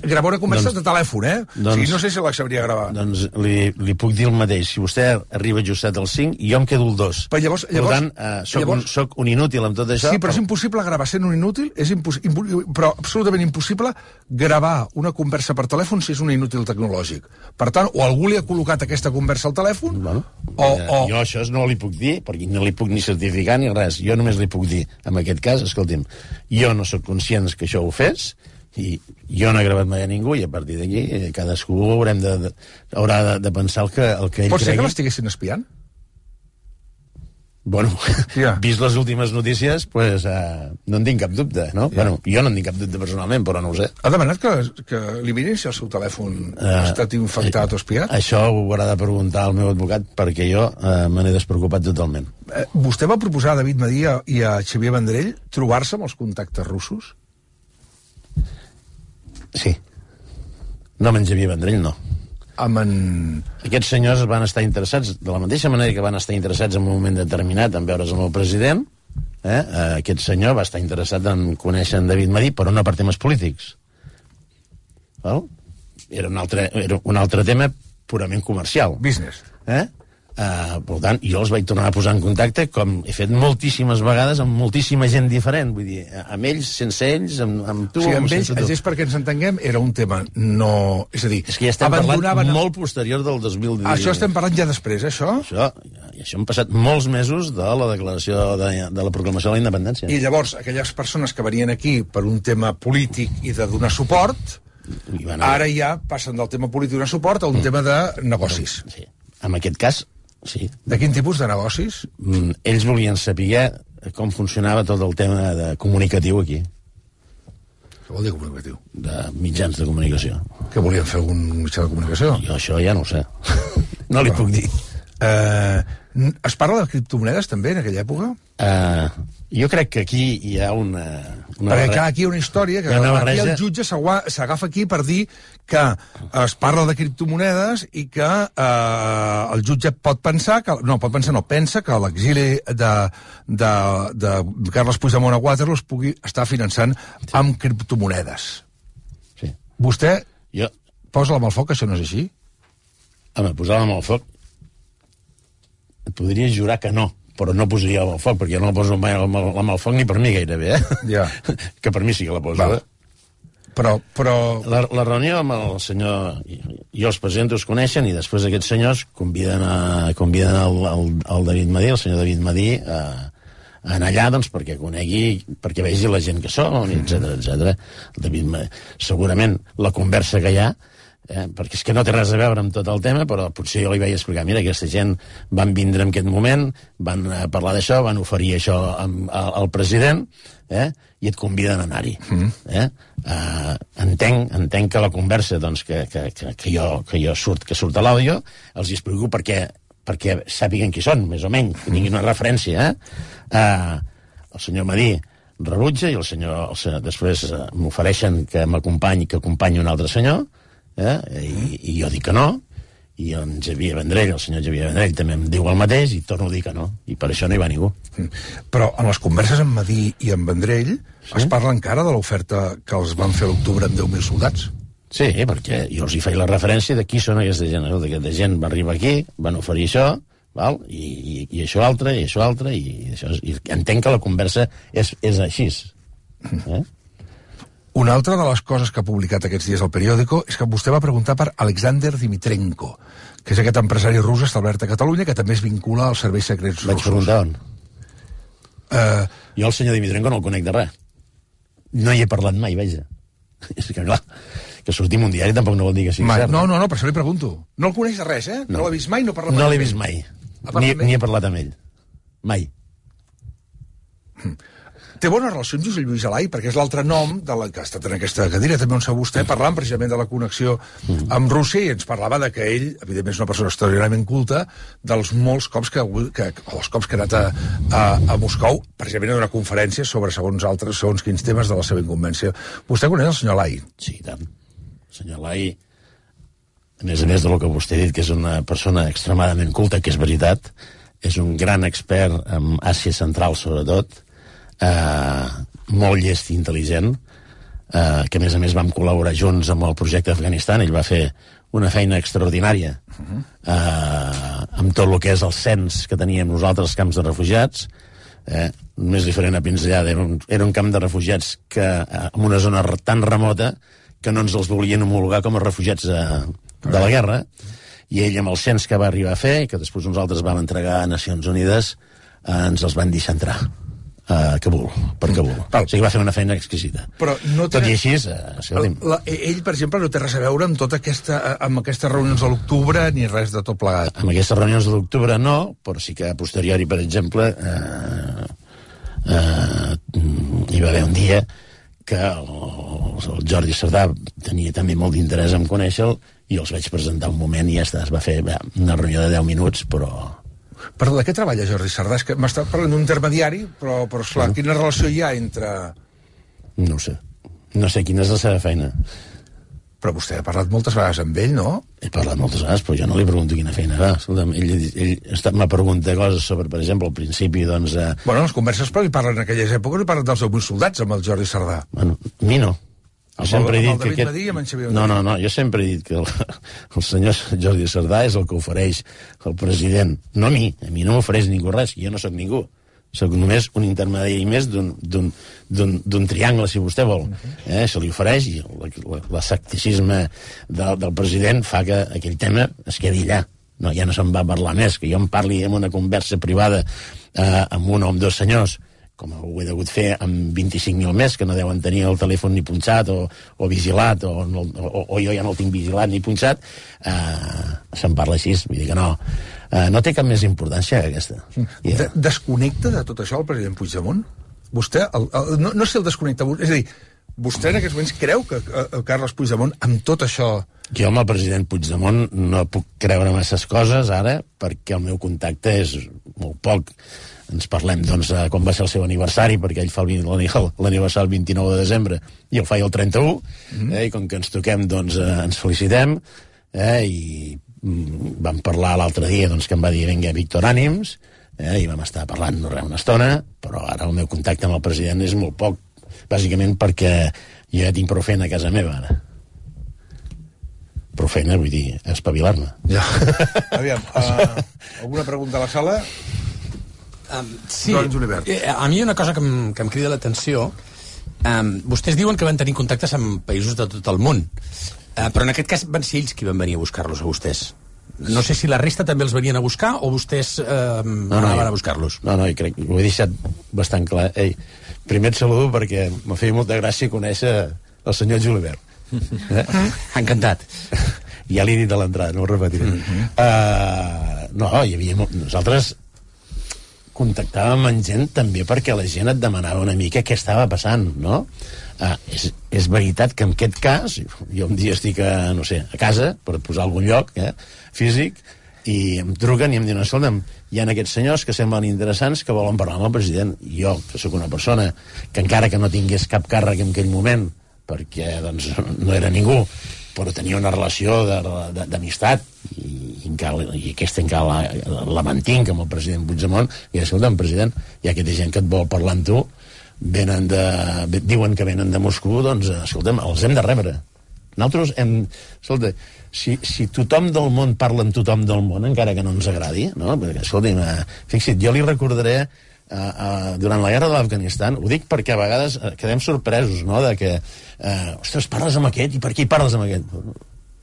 Gravar una conversa doncs, de telèfon, eh? Doncs, o sigui, no sé si la sabria gravar. Doncs li, li puc dir el mateix. Si vostè arriba justet al cinc, jo em quedo el dos. Però llavors, llavors, per tant, eh, soc, llavors, un, soc un inútil amb tot això. Sí, però, però... és impossible gravar sent un inútil, és imposs... però absolutament impossible gravar una conversa per telèfon si és un inútil tecnològic. Per tant, o algú li ha col·locat aquesta conversa al telèfon, bueno, o, o... Jo això no li puc dir, perquè no li puc ni certificar ni res. Jo només li puc dir, en aquest cas, escolti'm, jo no sóc conscient que això ho fes, i jo no he gravat mai a ningú, i a partir d'aquí cadascú haurem de, de, haurà de, de pensar el que, el que ell Pot ser cregui. que l'estiguessin espiant? Bueno, yeah. vist les últimes notícies, pues, uh, no en tinc cap dubte, no? Yeah. Bueno, jo no en tinc cap dubte personalment, però no ho sé. Ha demanat que, que li mirin si el seu telèfon uh, ha estat infectat uh, o espiat? Això ho haurà de preguntar al meu advocat, perquè jo uh, me n'he despreocupat totalment. Uh, vostè va proposar a David Madí i a Xavier Vendrell trobar-se amb els contactes russos? Sí. No amb en Xavier Vendrell, no. Amb en... Aquests senyors van estar interessats, de la mateixa manera que van estar interessats en un moment determinat en veure's amb el president, eh? Aquest senyor va estar interessat en conèixer en David Madí, però no per temes polítics. Val? Era un altre, era un altre tema purament comercial. Business. Eh? Uh, per tant, jo els vaig tornar a posar en contacte, com he fet moltíssimes vegades amb moltíssima gent diferent, vull dir, amb ells, sense ells, amb, amb tu... Sí, amb ells, ells, ells, perquè ens entenguem, era un tema no... És a dir, és que ja estem abandonaven... parlant molt posterior del dos mil divuit. Això estem parlant ja després, això? Això, i això han passat molts mesos de la declaració de, de la proclamació de la independència. I llavors, aquelles persones que venien aquí per un tema polític i de donar suport, ara ja passen del tema polític de donar suport a un mm. tema de negocis. Sí. En aquest cas, sí. De quin tipus de negocis? Mm, ells volien saber com funcionava tot el tema de comunicatiu aquí. Què vol dir comunicatiu? De mitjans de comunicació. Que volien fer algun mitjà de comunicació? Jo això ja no ho sé. No li Però, puc dir. Eh, es parla de criptomonedes també en aquella època? Uh, jo crec que aquí hi ha una... una Perquè clar, aquí hi ha una història que aquí el jutge s'agafa aquí per dir que es parla de criptomonedes i que eh, el jutge pot pensar, que, no, pot pensar, no, pensa que l'exili de, de, de Carles Puigdemont a Waterloo es pugui estar finançant sí. amb criptomonedes. Sí. Vostè jo... posa la mà al foc, això no és així? Home, posar la mà al foc et podria jurar que no, però no posaria la mà al foc, perquè jo no la poso mai la mà al foc ni per mi gairebé, eh? Ja. Que per mi sí que la poso, eh? Però, però... La, la reunió amb el senyor... Jo els presidents us coneixen i després aquests senyors conviden, a, conviden el, el, el David Madí, el senyor David Madí, a, a anar allà doncs, perquè conegui, perquè vegi la gent que són, etcètera, etcètera. El David Madí, segurament la conversa que hi ha, eh, perquè és que no té res a veure amb tot el tema, però potser jo li vaig explicar, mira, aquesta gent van vindre en aquest moment, van eh, parlar d'això, van oferir això amb, a, al president, eh, i et conviden a anar-hi. Mm. Eh? Uh, entenc, entenc que la conversa doncs, que, que, que, que, jo, que jo surt, que surt a l'àudio, els hi explico perquè, perquè sàpiguen qui són, més o menys, que tinguin una referència. Eh? Uh, el senyor Madí rebutja i el senyor, el senyor després uh, m'ofereixen que m'acompanyi, que acompanyi un altre senyor, eh? I, i jo dic que no, i en Xavier Vendrell, el senyor Xavier Vendrell també em diu el mateix i torno a dir que no, i per això no hi va ningú. Però en les converses amb Madí i amb Vendrell sí? es parla encara de l'oferta que els van fer a l'octubre amb deu mil soldats? Sí, perquè jo els hi feia la referència de qui són aquesta gent. Aquesta gent va arribar aquí, van oferir això, val? I, i, i això altre, i això altre, i, això, i entenc que la conversa és, és així. Eh? Una altra de les coses que ha publicat aquests dies al periòdico és que vostè va preguntar per Alexander Dimitrenko, que és aquest empresari rus establert a Catalunya que també es vincula als serveis secrets russos. Vaig preguntar on? Uh... Jo el senyor Dimitrenko no el conec de res. No hi he parlat mai, veja. És que clar, que sortim un diari tampoc no vol dir que sigui mai. cert. No, no, no, per això li pregunto. No el coneix de res, eh? No, no l'ha vist mai, no parla mai. No l'he vist mai. Ni, ni he parlat amb ell. Mai. Hm. Té bones relacions Josep Lluís Alai, perquè és l'altre nom de la que ha estat en aquesta cadira, també on s'ha vostè, parlant precisament de la connexió amb Rússia, i ens parlava de que ell, evidentment és una persona extraordinàriament culta, dels molts cops que, que els cops que ha anat a, a, a Moscou, precisament a una conferència sobre segons altres, segons quins temes de la seva incumbència. Vostè coneix el senyor Alai? Sí, tant. El senyor Alai, a més a més del que vostè ha dit, que és una persona extremadament culta, que és veritat, és un gran expert en Àsia Central, sobretot, Uh, molt llest i intel·ligent, uh, que a més a més vam col·laborar junts amb el projecte d'Afganistan. Ell va fer una feina extraordinària uh, amb tot el que és el cens que teníem nosaltres als camps de refugiats. Eh, més diferent a Pinzellada, era un, era un camp de refugiats que, uh, en una zona tan remota que no ens els volien homologar com a refugiats uh, de la guerra, i ell amb el cens que va arribar a fer, que després nosaltres vam entregar a Nacions Unides, uh, ens els van deixar entrar a Kabul, per Kabul. Val. O sigui, va fer una feina exquisita. Però no té... Tot i així... Eh, la, ell, per exemple, no té res a veure amb tota aquesta, amb aquestes reunions de l'octubre ni res de tot plegat. Amb aquestes reunions de l'octubre no, però sí que a posteriori, per exemple, eh, eh, hi va haver un dia que el, el Jordi Cerdà tenia també molt d'interès en conèixer-lo i els vaig presentar un moment i ja està, es va fer bé, una reunió de deu minuts, però... Perdó, de què treballa Jordi Cerdà? És que m'està parlant d'un intermediari, però, però esclar, mm. quina relació hi ha entre... No ho sé. No sé quina és la seva feina. Però vostè ha parlat moltes vegades amb ell, no? He parlat moltes vegades, però jo no li pregunto quina feina va. Escolta'm, ell, ell m'ha preguntat coses sobre, per exemple, al principi, doncs... Eh... Bueno, les converses, però li parlen en aquelles èpoques, li parlen dels deu mil soldats amb el Jordi Cerdà. Bueno, a mi no. Jo sempre he dit que aquest... Madí, no, no, no, jo sempre he dit que el, el senyor Jordi Cerdà és el que ofereix el president, no a mi, a mi no m'ofereix ningú res, jo no sóc ningú, sóc només un intermediari més d'un triangle, si vostè vol, eh? Se li ofereix i l'escepticisme del, del president fa que aquell tema es quedi allà, no, ja no se'n va parlar més, que jo em parli en una conversa privada eh, amb un o amb dos senyors, com ho he degut fer amb vint-i-cinc mil més, que no deuen tenir el telèfon ni punxat o, o vigilat, o, no, o, o jo ja no el tinc vigilat ni punxat, eh, se'n parla així, vull dir que no. Eh, no té cap més importància que aquesta. De, desconnecta de tot això el president Puigdemont? Vostè, el, el, no, no sé el desconnecta, és a dir, Vostè en aquests moments creu que el Carles Puigdemont, amb tot això... Jo amb el president Puigdemont no puc creure masses coses ara, perquè el meu contacte és molt poc. Ens parlem, doncs, quan va ser el seu aniversari, perquè ell fa l'aniversari el vint-i-nou de desembre i el fa el trenta-u, mm. eh, i com que ens toquem, doncs, eh, ens felicitem, eh, i mm, vam parlar l'altre dia, doncs, que em va dir, vinga, Víctor, ànims, eh, i vam estar parlant no res una estona, però ara el meu contacte amb el president és molt poc, bàsicament perquè jo ja tinc prou feina a casa meva, ara. Prou feina, vull dir, espavilar-me. Ja. Aviam, uh, alguna pregunta a la sala? Um, sí, eh, a mi una cosa que em, que em crida l'atenció, um, vostès diuen que van tenir contactes amb països de tot el món, uh, però en aquest cas van ser ells qui van venir a buscar-los a vostès. No sé si la resta també els venien a buscar o vostès uh, no, no, anaven a buscar-los. No, no, jo crec, ho he deixat bastant clar. Ei, primer et saludo perquè m'ha fet molta gràcia conèixer el senyor Julibert. Eh? Encantat. Ja l'he dit a l'entrada, no ho repetiré. Mm-hmm. uh, no, hi havia... Nosaltres contactàvem amb gent també perquè la gent et demanava una mica què estava passant, no? Uh, és, és veritat que en aquest cas, jo un dia estic a, no sé, a casa, per posar algun lloc, eh, físic, i em truquen i em diuen, escolta'm, hi ha aquests senyors que semblen interessants que volen parlar amb el president. I jo, que sóc una persona que encara que no tingués cap càrrec en aquell moment, perquè doncs, no era ningú, però tenia una relació d'amistat i, i, i aquesta encara la, la mantinc amb el president Puigdemont, i escolta'm, president, hi ha aquesta gent que et vol parlar amb tu, venen de, diuen que venen de Moscou, doncs escolta'm, els hem de rebre. Nosaltres hem... Escolta, si, si tothom del món parla amb tothom del món, encara que no ens agradi, no? Perquè, escolta'm, fixa't, jo li recordaré Uh, uh, durant la guerra de l'Afganistan, ho dic perquè a vegades uh, quedem sorpresos, no?, de que uh, ostres, parles amb aquest, i per què hi parles amb aquest?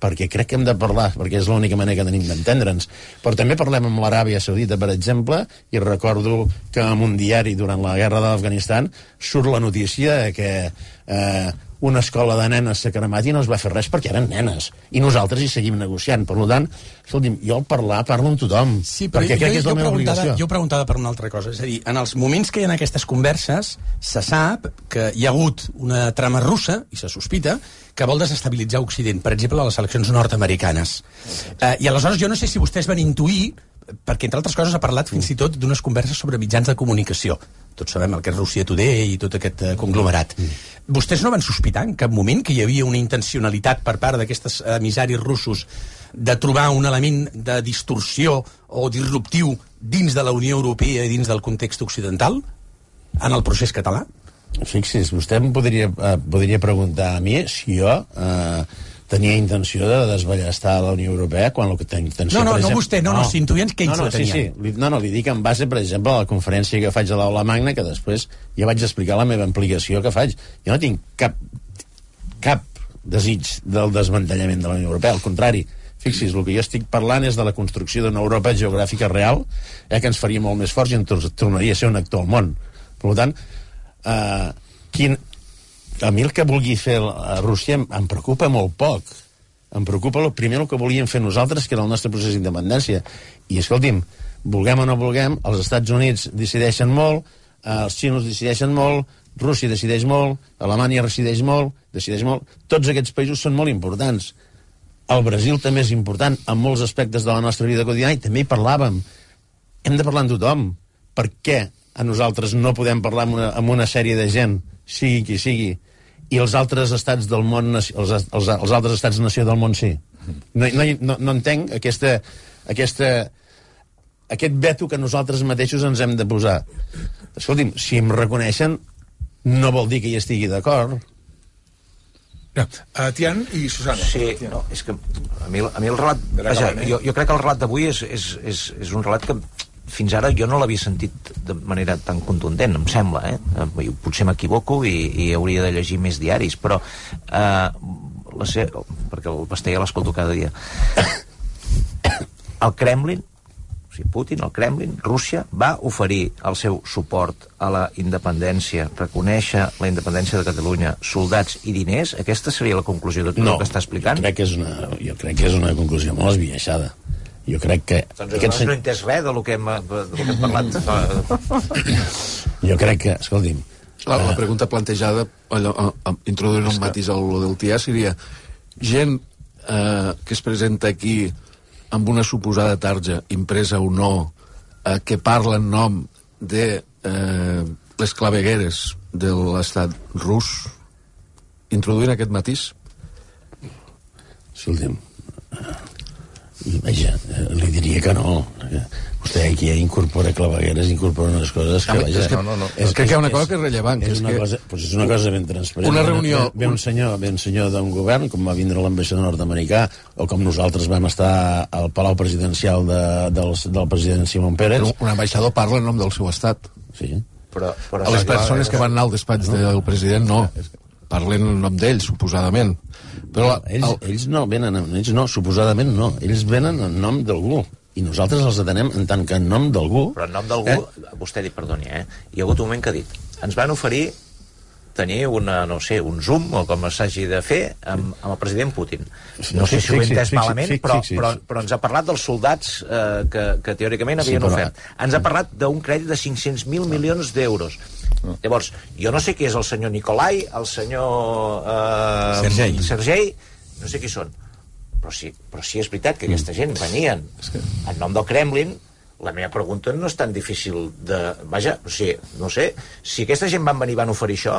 Perquè crec que hem de parlar, perquè és l'única manera que tenim d'entendre'ns. Però també parlem amb l'Aràbia Saudita, per exemple, i recordo que en un diari durant la guerra de l'Afganistan surt la notícia que uh, una escola de nenes s'ha cremat i no es va fer res perquè eren nenes, i nosaltres hi seguim negociant. Per tant, escolti'm, jo al parlar parlo amb tothom, sí, perquè jo, crec jo, que és la meva obligació. Jo preguntava per una altra cosa, és a dir, en els moments que hi ha aquestes converses se sap que hi ha hagut una trama russa, i se sospita, que vol desestabilitzar Occident, per exemple, a les eleccions nord-americanes. Eh, I aleshores jo no sé si vostès van intuir, perquè entre altres coses ha parlat fins i tot d'unes converses sobre mitjans de comunicació. Tots sabem el que és Russia Today i tot aquest uh, conglomerat. Vostès no van sospitar en cap moment que hi havia una intencionalitat per part d'aquestes emissaris russos de trobar un element de distorsió o disruptiu dins de la Unió Europea i dins del context occidental en el procés català? Fixi's, vostè em podria, eh, podria preguntar a mi si jo eh, tenia intenció de desballestar la Unió Europea quan el que tenia intenció... No, no, per exemple, no vostè, no, no, no s'intuïen que ells no, no, la tenien. Sí, sí, no, no, li dic en base, per exemple, a la conferència que faig a l'Aula Magna, que després ja vaig explicar la meva implicació que faig. Jo no tinc cap, cap desig del desmantellament de la Unió Europea, al contrari. Fixis, el que jo estic parlant és de la construcció d'una Europa geogràfica real, eh, que ens faria molt més forts i ens tornaria a ser un actor al món. Per tant, eh, quin... a mi el que vulgui fer a Rússia em, em preocupa molt poc. Em preocupa el, primer el que volíem fer nosaltres, que era el nostre procés d'independència. I escolti'm, vulguem o no vulguem, els Estats Units decideixen molt, eh, els xinos decideixen molt, Rússia decideix molt, Alemanya decideix molt, decideix molt. Tots aquests països són molt importants. El Brasil també és important en molts aspectes de la nostra vida quotidiana, i també hi parlàvem. Hem de parlar amb tothom. Per què a nosaltres no podem parlar amb una, amb una sèrie de gent, sigui qui sigui, i els altres estats del món, els, els, els altres estats nació del món sí? No, no, no entenc aquesta, aquesta, aquest veto que nosaltres mateixos ens hem de posar. Escolti'm, si em reconeixen, no vol dir que hi estigui d'acord. Ja. Uh, Tian i Susana. Sí, no, és que a mi, a mi el relat... Vaja, jo, jo crec que el relat d'avui és, és, és, és un relat que fins ara jo no l'havia sentit de manera tan contundent, em sembla, eh? Potser m'equivoco i, i hauria de llegir més diaris, però eh, la ser, perquè el Basté ja l'escolto cada dia. El Kremlin, o sigui, Putin, el Kremlin, Rússia, va oferir el seu suport a la independència, reconèixer la independència de Catalunya, soldats i diners. Aquesta seria la conclusió de tot no, el que està explicant? No, crec que és una, jo crec que és una conclusió molt esbiaixada. Jo crec que... Doncs aquest no he entès res del que hem, del que hem parlat. Jo crec que, escolti'm, La, la pregunta plantejada, allò, a, a, introduint un matís al lo del T I A, seria gent eh, que es presenta aquí amb una suposada tarja, impresa o no, eh, que parla en nom de eh, les clavegueres de l'estat rus, introduint aquest matís? Escolta'm, vaja, li diria que no. Vostè aquí incorpora clavegueres, incorpora unes coses que, vaja... És que, no, no. És, crec que hi ha una cosa que és rellevant. És, és una, que... cosa, pues és una cosa ben transparent. Una reunió... Ve, ve un senyor, ve un senyor d'un govern, com va vindre l'ambaixador nord-americà, o com nosaltres vam estar al Palau Presidencial de, del, del president Simón Pérez. Un ambaixador parla en nom del seu estat. Sí. Però, però les persones que van anar al despatx no. del president, no. Parlen en nom d'ells, suposadament. Però la, ells, el... ells no venen, ells no, suposadament no. Ells venen en nom d'algú. I nosaltres els atenem en tant que en nom d'algú... Però en nom d'algú, eh? Vostè ha dit, perdoni, eh? Hi ha hagut un moment que ha dit, ens van oferir tenir una, no sé, un Zoom, o com s'hagi de fer, amb, amb el president Putin. No sé si ho he entès malament, però, però, però ens ha parlat dels soldats eh, que, que teòricament havien sí, però... ofert. Ens ha parlat d'un crèdit de cinc-cents mil milions d'euros. No. Llavors, jo no sé qui és el senyor Nikolai, el senyor... Eh, Sergei. Sergei, no sé qui són. Però sí, però sí és veritat que aquesta gent venien en nom del Kremlin. La meva pregunta no és tan difícil de... Vaja, o sigui, no sé, si aquesta gent van venir i van oferir això,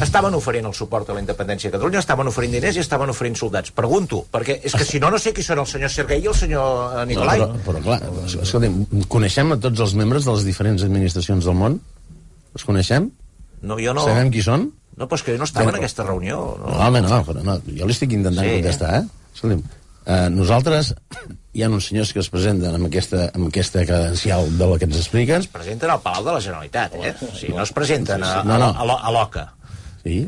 estaven oferint el suport a la independència de Catalunya, estaven oferint diners i estaven oferint soldats. Pregunto, perquè és que si no, no sé qui són el senyor Sergei i el senyor Nikolai. No, però, però clar, escolta'm, coneixem a tots els membres de les diferents administracions del món? Els coneixem? No, jo no... Sabem qui són? No, però és que jo no estava en aquesta reunió. No, no home, no, però no, jo li estic intentant sí, contestar, eh? Escolta'm, eh, nosaltres, hi ha uns senyors que es presenten amb aquesta, amb aquesta credencial de la que ens expliquen. Es presenten al Palau de la Generalitat, eh? O sigui, no es presenten a, no, no. a, a, a l'Oca. Sí.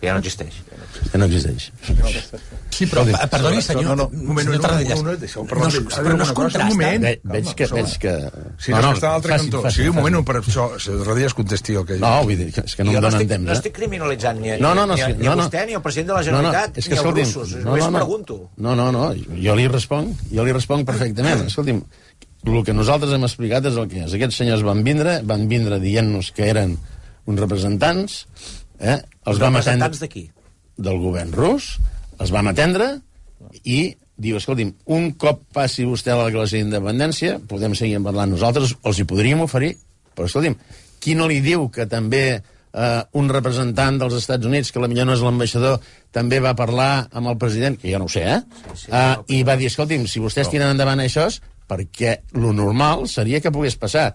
Ja no existeix. Ja no existeix. Sí, però, perdoni, senyor, no, no, un moment, senyor Tarradellas. No, no, no, no, però no es contrasta. Un moment. Ve, veig que... Veig que... Sí, no, no, està a l'altre cantó. Sí, un moment, per això, Tarradellas contesti el que... No, vull dir, és que no em donen temps, eh? No estic criminalitzant ni, no, no, no, ni, sí, ni no, a no. vostè, ni al president de la Generalitat, no, no, és que, ni als escolti'm, russos. No, Només no, no, pregunto. No, no, no, jo li responc, jo li responc perfectament. Escolti'm, el que nosaltres hem explicat és el que és. Aquests senyors van vindre, van vindre dient-nos que eren uns representants, eh? Els vam representants de qui? Del govern rus, els vam atendre i diu, escolti'm, un cop passi vostè a la declaració d'independència, podem seguir parlant nosaltres, els hi podríem oferir, però escolti'm, qui no li diu que també eh, un representant dels Estats Units, que potser no és l'ambaixador, també va parlar amb el president, que jo no ho sé, eh? Sí, sí, uh, i va dir, escolti'm, si vostès tiren endavant això, perquè lo normal seria que pogués passar.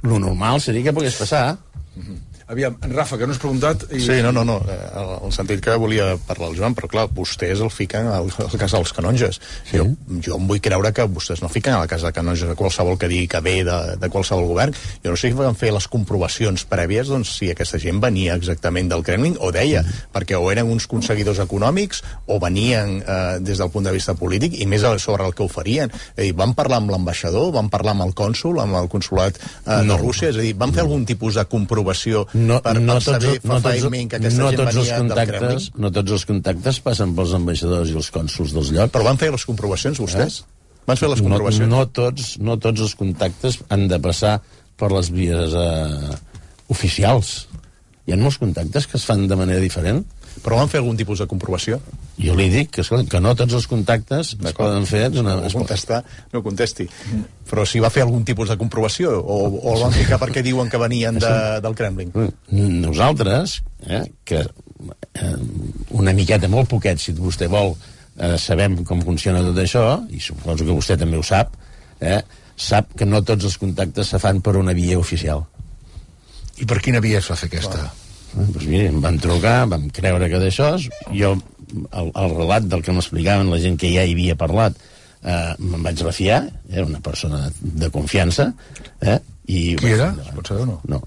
Lo normal seria que pogués passar. Mm-hmm. Aviam, en Rafa, que no has preguntat... I... Sí, no, no, no, en el sentit que volia parlar el Joan, però clar, vostès el fiquen al, al cas dels canonges. Sí. Jo, jo em vull creure que vostès no fiquen a la casa de canonges a qualsevol que digui que ve de, de qualsevol govern. Jo no sé si van fer les comprovacions prèvies, doncs, si aquesta gent venia exactament del Kremlin, o deia, mm. perquè o eren uns conseguidors econòmics, o venien eh, des del punt de vista polític, i més sobre el que oferien. És a dir, van parlar amb l'ambaixador, van parlar amb el cònsul, amb el consulat eh, no. de Rússia, és a dir, van fer algun tipus de comprovació no, per, no per saber tots, no fa tots, que aquesta no gent tots els venia del Kremlin? No tots els contactes passen pels ambaixadors i els cònsuls dels llocs. Però van fer les comprovacions, vostès? Eh? Van fer les comprovacions? No, no, tots, no tots els contactes han de passar per les vies eh, oficials. Hi ha molts contactes que es fan de manera diferent. Però van fer algun tipus de comprovació? Jo li dic que, escolta, que no tots els contactes es poden fer... Una... No contestar, no contesti. Mm. Però si va fer algun tipus de comprovació, o, o el van ficar perquè diuen que venien de, del Kremlin? Nosaltres, eh, que eh, una miqueta, molt poquet, si vostè vol, eh, sabem com funciona tot això, i suposo que vostè també ho sap, eh, sap que no tots els contactes se fan per una via oficial. I per quina via es va fer aquesta? Wow. Doncs mira, em van trucar, vam creure que d'això, jo, el, el relat del que m'explicaven la gent que ja hi havia parlat, eh, me'n vaig refiar, era una persona de confiança, eh, i... Qui era? Es pot saber o no? No.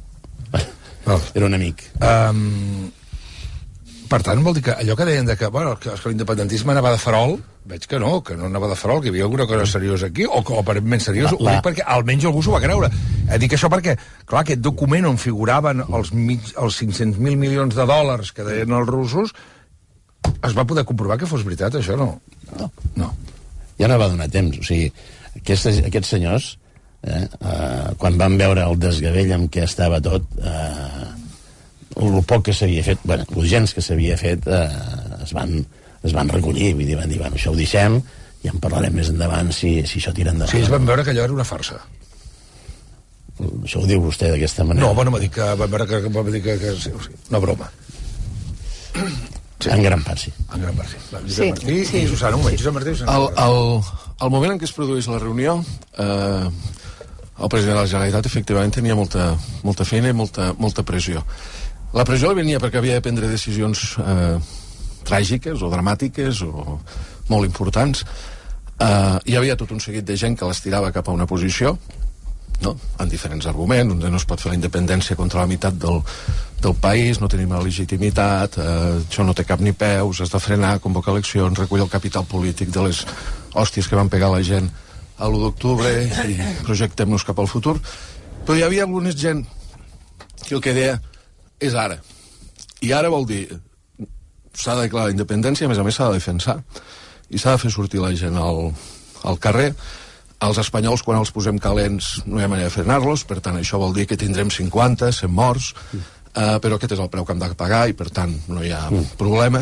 Era un amic. Um, per tant, vol dir que allò que deien de que, bueno, que l'independentisme anava de farol, veig que no, que no anava de farol, que hi havia alguna cosa seriosa aquí, o que aparentment seriós, la, la... ho dic perquè almenys algú s'ho va creure. Eh, dic això perquè, clar, aquest document on figuraven els, mig, els cinc-cents mil milions de dòlars que deien els russos, es va poder comprovar que fos veritat, això no? No. No. Ja no va donar temps, o sigui, aquests, aquests senyors eh, eh, quan van veure el desgavell amb què estava tot, eh, el poc que s'havia fet, bueno, els gens que s'havia fet eh, es, van, es van recollir, vull dir, van dir, bueno, això ho deixem, ja en parlarem més endavant si, si això tira endavant. Sí, es van veure que allò era una farsa. Això ho diu vostè d'aquesta manera. No, bueno, m'ha dit que van veure que, va dir que, que, que una broma. Sí. En gran part, sí. En gran part, sí. Va, sí, Martí sí. I Susana, un moment, Josep Martí i Susana. El, el, el moment en què es produeix la reunió, eh, el president de la Generalitat efectivament tenia molta, molta feina i molta, molta pressió. La pressió li venia perquè havia de prendre decisions eh, tràgiques o dramàtiques o molt importants. Eh, hi havia tot un seguit de gent que l'estirava cap a una posició, no? En diferents arguments, on no es pot fer la independència contra la meitat del, del país, no tenim la legitimitat, eh, això no té cap ni peus, has de frenar, convocar eleccions, recollir el capital polític de les hòsties que van pegar la gent a l'u d'octubre i projectem-nos cap al futur. Però hi havia alguna gent que el que deia és ara. I ara vol dir s'ha de declarar la independència, a més a més s'ha de defensar i s'ha de fer sortir la gent al, al carrer. Els espanyols, quan els posem calents, no hi ha manera de frenar-los, per tant, això vol dir que tindrem cinquanta, cent morts, eh, però aquest és el preu que hem de pagar i, per tant, no hi ha mm. problema.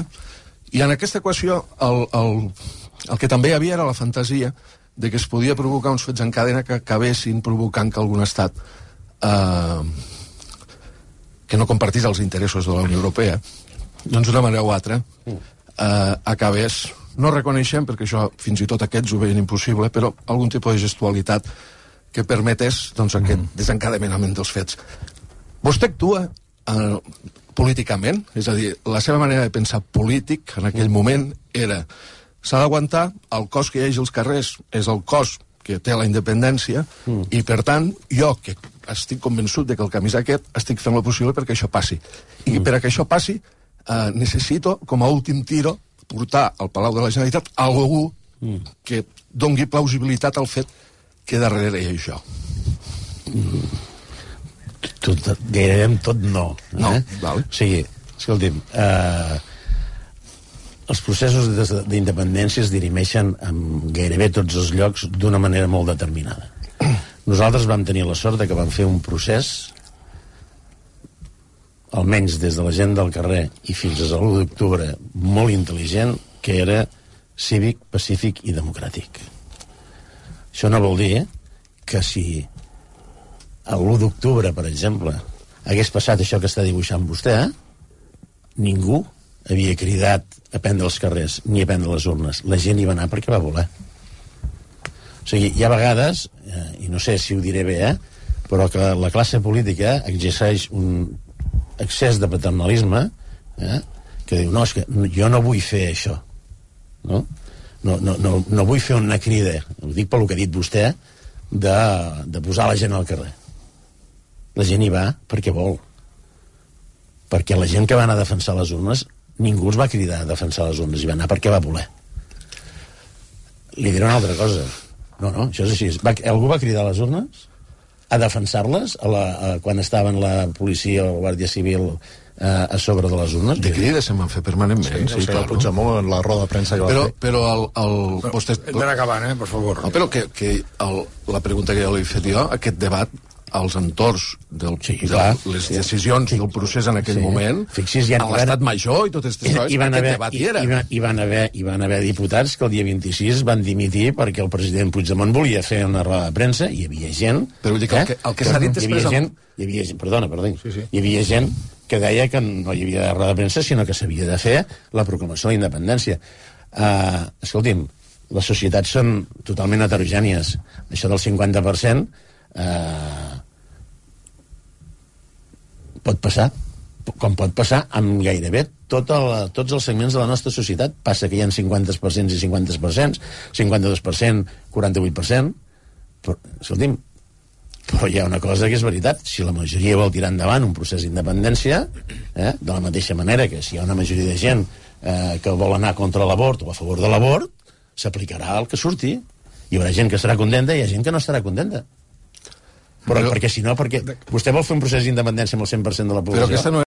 I en aquesta equació, el, el, el que també hi havia era la fantasia de que es podia provocar uns fets en cadena que acabessin provocant que algun estat eh, que no compartís els interessos de la Unió Europea, doncs d'una manera o altra, eh, acabés... No reconeixem, perquè això fins i tot aquests ho veien impossible, però algun tipus de gestualitat que permetés doncs, aquest mm. desencadenament dels fets. Vostè actua eh, políticament, és a dir, la seva manera de pensar polític en aquell moment era s'ha d'aguantar, el cos que hi hagi als carrers és el cos que té la independència mm. i, per tant, jo, que estic convençut de que el camí és aquest, estic fent el possible perquè això passi. I mm. per a que això passi eh, necessito, com a últim tiro, portar al Palau de la Generalitat algú mm. que dongui plausibilitat al fet que darrere hi ha això. Mm. Tot, gairebé amb tot no. Eh? No, val. O sigui, escolti'm, eh, els processos d'independència es dirimeixen en gairebé tots els llocs d'una manera molt determinada. Nosaltres vam tenir la sort de que vam fer un procés, almenys des de la gent del carrer i fins a l'u d'octubre, molt intel·ligent, que era cívic, pacífic i democràtic. Això no vol dir eh, que si l'u d'octubre, per exemple, hagués passat això que està dibuixant vostè, ningú havia cridat a prendre els carrers ni a prendre les urnes. La gent hi va anar perquè va voler. O sigui, hi ha vegades, eh, i no sé si ho diré bé, eh, però que la classe política exerceix un excés de paternalisme, eh, que diu, no, és que jo no vull fer això, no? No, no, no, no vull fer una crida, ho dic pel que ha dit vostè, de, de posar la gent al carrer. La gent hi va perquè vol. Perquè la gent que va anar a defensar les urnes, ningú els va cridar a defensar les urnes, hi va anar perquè va voler. Li diré una altra cosa. No, no, això és així. Va, algú va cridar a les urnes a defensar-les a la, a, quan estaven la policia o la Guàrdia Civil eh, a sobre de les urnes? De crides se'n van fer permanentment. Sí, sí, sí, el Puigdemont en la roda de premsa que va però, fer. Però el... el no, vostè... Hem d'anar acabant, eh, per favor. No, però que, que el, la pregunta que jo li he fet jo, aquest debat als entorns del, sí, de clar, les sí, decisions sí, del procés en aquell sí. moment, Fixi's, ja a l'estat major i totes aquestes coses, aquest haver, debat hi era. Hi, hi, hi, van haver, hi van haver diputats que el dia vint-i-sis van dimitir perquè el president Puigdemont volia fer una roda de premsa, hi havia gent... Però vull dir que el que, el que s'ha dit després... Hi havia gent, hi havia gent, perdona, perdona, sí, sí. hi havia gent que deia que no hi havia roda de premsa, sinó que s'havia de fer la proclamació de la independència. Uh, escolti'm, les societats són totalment heterogènies. Això del cinquanta per cent... Uh, pot passar, com pot passar amb gairebé tot el, tots els segments de la nostra societat. Passa que hi ha cinquanta per cent i cinquanta per cent, cinquanta-dos per cent, quaranta-vuit per cent, però, escolti'm, però hi ha una cosa que és veritat: si la majoria vol tirar endavant un procés d'independència, eh, de la mateixa manera que si hi ha una majoria de gent eh, que vol anar contra l'abort o a favor de l'abort, s'aplicarà el que surti. Hi haurà gent que estarà contenta i hi ha gent que no estarà contenta. Però, però perquè si no, perquè vostè vol fer un procés d'independència amb el cent per cent de la població. Però aquesta no